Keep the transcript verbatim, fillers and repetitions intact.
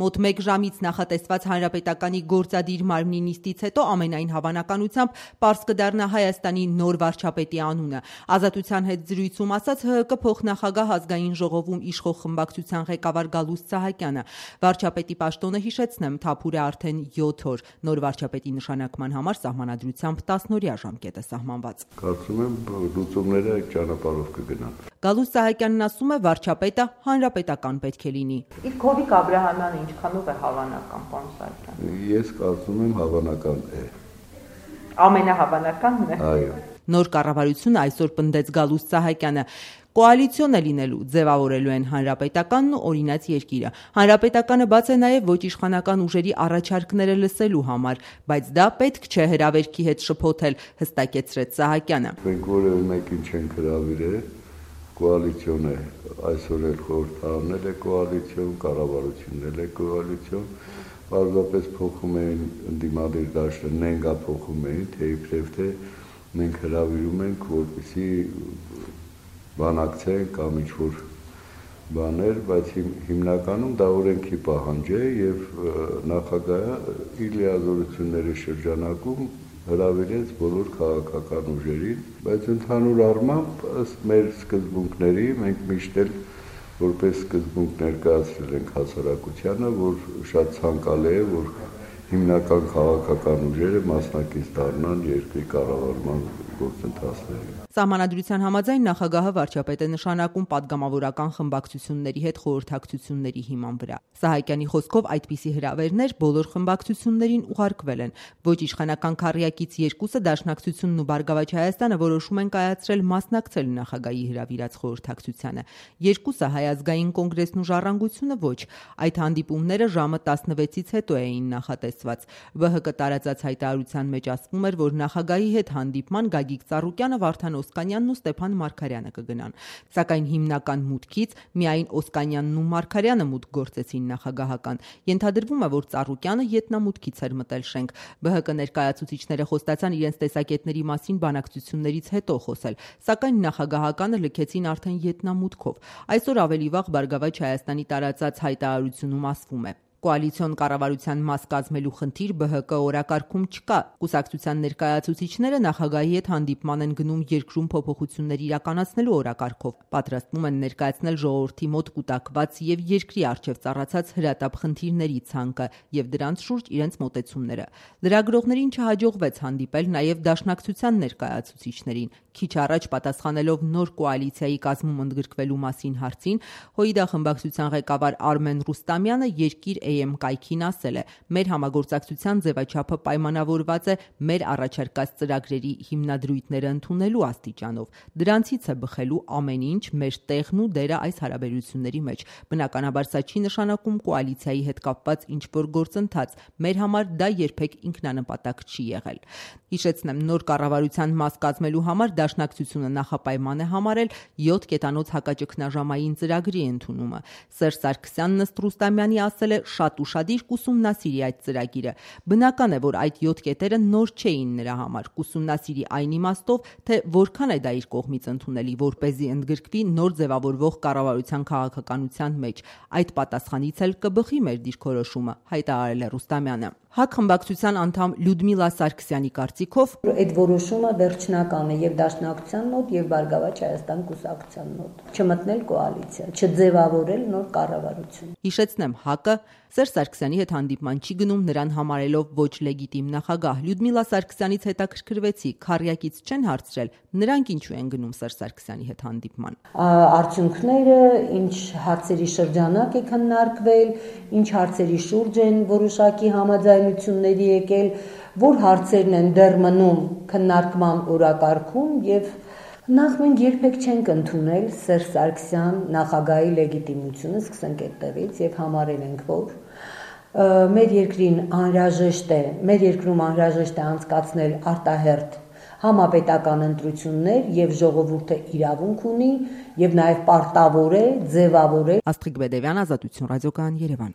Մոտ մեկ ժամից նախատեսված հանրապետականի գործադիր մարմնի նիստից հետո ամենայն հավանականությամբ պարզ կդառնա Հայաստանի նոր վարչապետի անունը։ Ազատության հետ զրույցում ասաց ՀՀԿ փոխնախագահ ազգային ժողովում իշխող խմբակցության ղեկավար Գալուստ Սահակյանը։ Վարչապետի պաշտոնը, հիշեցնեմ, թափուր է արդեն յոթ օր։ Նոր վարչապետի նշանակման համար սահմանադրությամբ տասնօրյա ժամկետ է սահմանված։ Կարծում եմ լուծումները այդ ճանապարհով կգնան։ Գալուստ Սահակյանն ասում է, վարչապետը հանրապետական պետք է լինի։ Իսկ Հովիկ Աբրահամյանը ինչքանով է հավանական, պարոն Սահակյան։ Ես կարծում եմ հավանական է։ Ամենահավանականն է։ Այո։ Նոր կառավարությունը այսօր պնդեց Գալուստ Սահակյանը։ Կոալիցիոն է լինելու, ձևավորելու են հանրապետականն ու օրինաց երկիրը։ Հանրապետականը բաց է նաև ոչ իշխանական ուժերի առաջարկները լսելու համար, բայց դա պետք չէ հրավերքի հետ շփոթել, հստակեցրեց Սահակյանը։ Մենք որևէ մեկին չենք հրավիրել, կոալիցիոն է, այսօր էլ խորհրդարանել է կոալիցիոն, կառավարությունն էլ է կոալիցիոն, պարզապես փոխում էին ընդդիմադիր դաշտը, նենգա փոխում էին, թե իբրև թե մենք հրավիրում ենք, որպեսզի բանակցեն կամ ինչ-որ բաներ, բայց հիմնականում դա օրենքի պահանջ է եւ նախագահը իր լիազորությունների շրջանակում հրավիրեց բոլոր քաղաքական ուժերին, բայց ընդհանուր առմամբ ըստ մեր սկզբունքների մենք միշտ էլ որպես սկզբունք ներկայացրել ենք հասարակությանը, որ շատ ցանկալի է, որ հիմնական քաղաքական ուժերը մասնակից դառնան երկրի կառավարման գործընթացներին։ Սահմանադրության համաձայն նախագահը վարչապետ է նշանակում падգամավորական խմբակցությունների հետ խորհրդակցությունների հիման վրա։ Սահակյանի խոսքով այդպիսի հրավերներ բոլոր խմբակցություններին ուղարկվել են։ Ոչ իշխանական քառյակից երկուսը Դաշնակցությունն ու Բարգավաճ Հայաստանը որոշում են կայացրել մասնակցել նախագահի հրավիրած խորհրդակցությանը։ Երկուսը Հայ ազգային կոնգրեսն ու Ժառանգությունը ոչ։ Այդ հանդիպումները ժամը տասնվեցից հետո էին նախատեսված։ ՎՀԿ տարածած հայտարարության մեջ ասվում էր, որ նախագահի հետ հանդիպման Գագիկ Ծառուկյանը, Վարդան Օսկանյանն ու Ստեփան Մարգարյանը կգնան։ Սակայն հիմնական մուտքից միայն Օսկանյանն ու Մարգարյանը մուտք գործեցին նախագահական։ Ենթադրվում է, որ Ծառուկյանը ետնամուտքից էր մտել շենք։ ԲՀԿ ներկայացուցիչները խոստացան իրենց տեսակետների մասին բանակցություններից հետո խոսել, սակայն նախագահականը լքեցին արդեն ետնամուտքով։ Այսօր ավելի վաղ Բարգավաճ Հայաստանի տարածած հայտարարությունում ասվում է. Կոալիցիոն կառավարության մաս կազմելու խնդիր ԲՀԿ օրակարգում չկա։ Կուսակցության ներկայացուցիչները նախագահի հետ հանդիպման են գնում երկրում փոփոխություններ իրականացնելու օրակարգով, պատրաստվում են ներկայացնել ժողովրդի մոտ կուտակված եւ երկրի առջև ծառացած հրատապ խնդիրների ցանկը եւ դրանց շուրջ իրենց մոտեցումները։ Լրագրողներին չհաջողվեց հանդիպել նաեւ Դաշնակցության ներկայացուցիչներին։ Քիչ առաջ պատասխանելով նոր կոալիցիայի կազմում ընդգրկվելու մասին հարցին, ՀՅԴ խմբակցության ղեկավար Արմեն Ռուստամյանը երկիր Էեմ կայքին ասել է. մեր համագործակցության ձևաչափը պայմանավորված է մեր առաջարկած ծրագրերի հիմնադրույթները ընդունելու աստիճանով։ Դրանցից է բխելու ամեն ինչ մեր տեղն ու դերը այս հարաբերությունների մեջ։ Բնականաբար սա չի նշանակում կոալիցիայի հետ կապված ինչ-որ գործընթաց։ Մեր համար դա երբեք ինքնանպատակ չի եղել։ Հիշեցնեմ, նոր կառավարության մաս կազմելու համար Դաշնակցությունը նախապայման է համարել յոթ կետանոց հակաճգնաժամային ծրագրի ընդունումը։ Սերժ Սարգսյանն ըստ Ռուստամյանի ասել է շատ ուշադիր կուսումնասիրի այդ ծրագիրը։ Բնական է, որ այդ յոթ կետերը նոր չէին նրա համար, կուսումնասիրի այն իմաստով, թե որքան է դա իր կողմից ընդունելի, որպեսզի ընդգրկվի նոր ձևավորվող կառավարության քաղաքականության մեջ։ Այդ պատասխանից էլ կբխի մեր դիրքորոշումը, հայտարարել է Ռուստամյանը։ ՀԱԿ խմբակցության անդամ Լյուդմիլա Սարգսյանի կարծիքով այդ որոշումը վերջնական է եւ Դաշնակցության մոտ եւ Բարգավաճ Հայաստան կուսակցության մոտ։ Չմտնել կոալիցիա, չձևավորել նոր կառավարություն։ Հիշեցնեմ, ՀԱԿ-ը Սերժ Սարգսյանի հետ հանդիպման չի գնում, նրան համարելով ոչ լեգիտիմ նախագահ։ Լյուդմիլա Սարգսյանից հետաքրքրվեցի, քառյակից չեն հարցրել, նրանք ինչու են գնում Սերժ Սարգսյանի հետ հանդիպման։ Արդյունքները, ինչ հարցերի շրջանակ է քննարկվել, ինչ հարցերի շուրջ են որոշակի համաձայնությունների եկել, որ հարցերն են դեռ մնում քննարկման օրակարգում եւ նախ մենք երբեք չենք ընդունել Սերժ Սարգսյան նախագահի լեգիտիմությունը, սկսենք այդտեղից եւ համարել ենք, որ մեր երկրին անհրաժեշտ է, մեր երկրում անհրաժեշտ է անցկացնել արտահերթ համապետական ընտրություններ եւ ժողովուրդը իրավունք ունի եւ նաեւ պարտավոր է ձևավորել։ Աստղիկ Բեդևյան, Ազատություն ռադիոկայան, Երևան։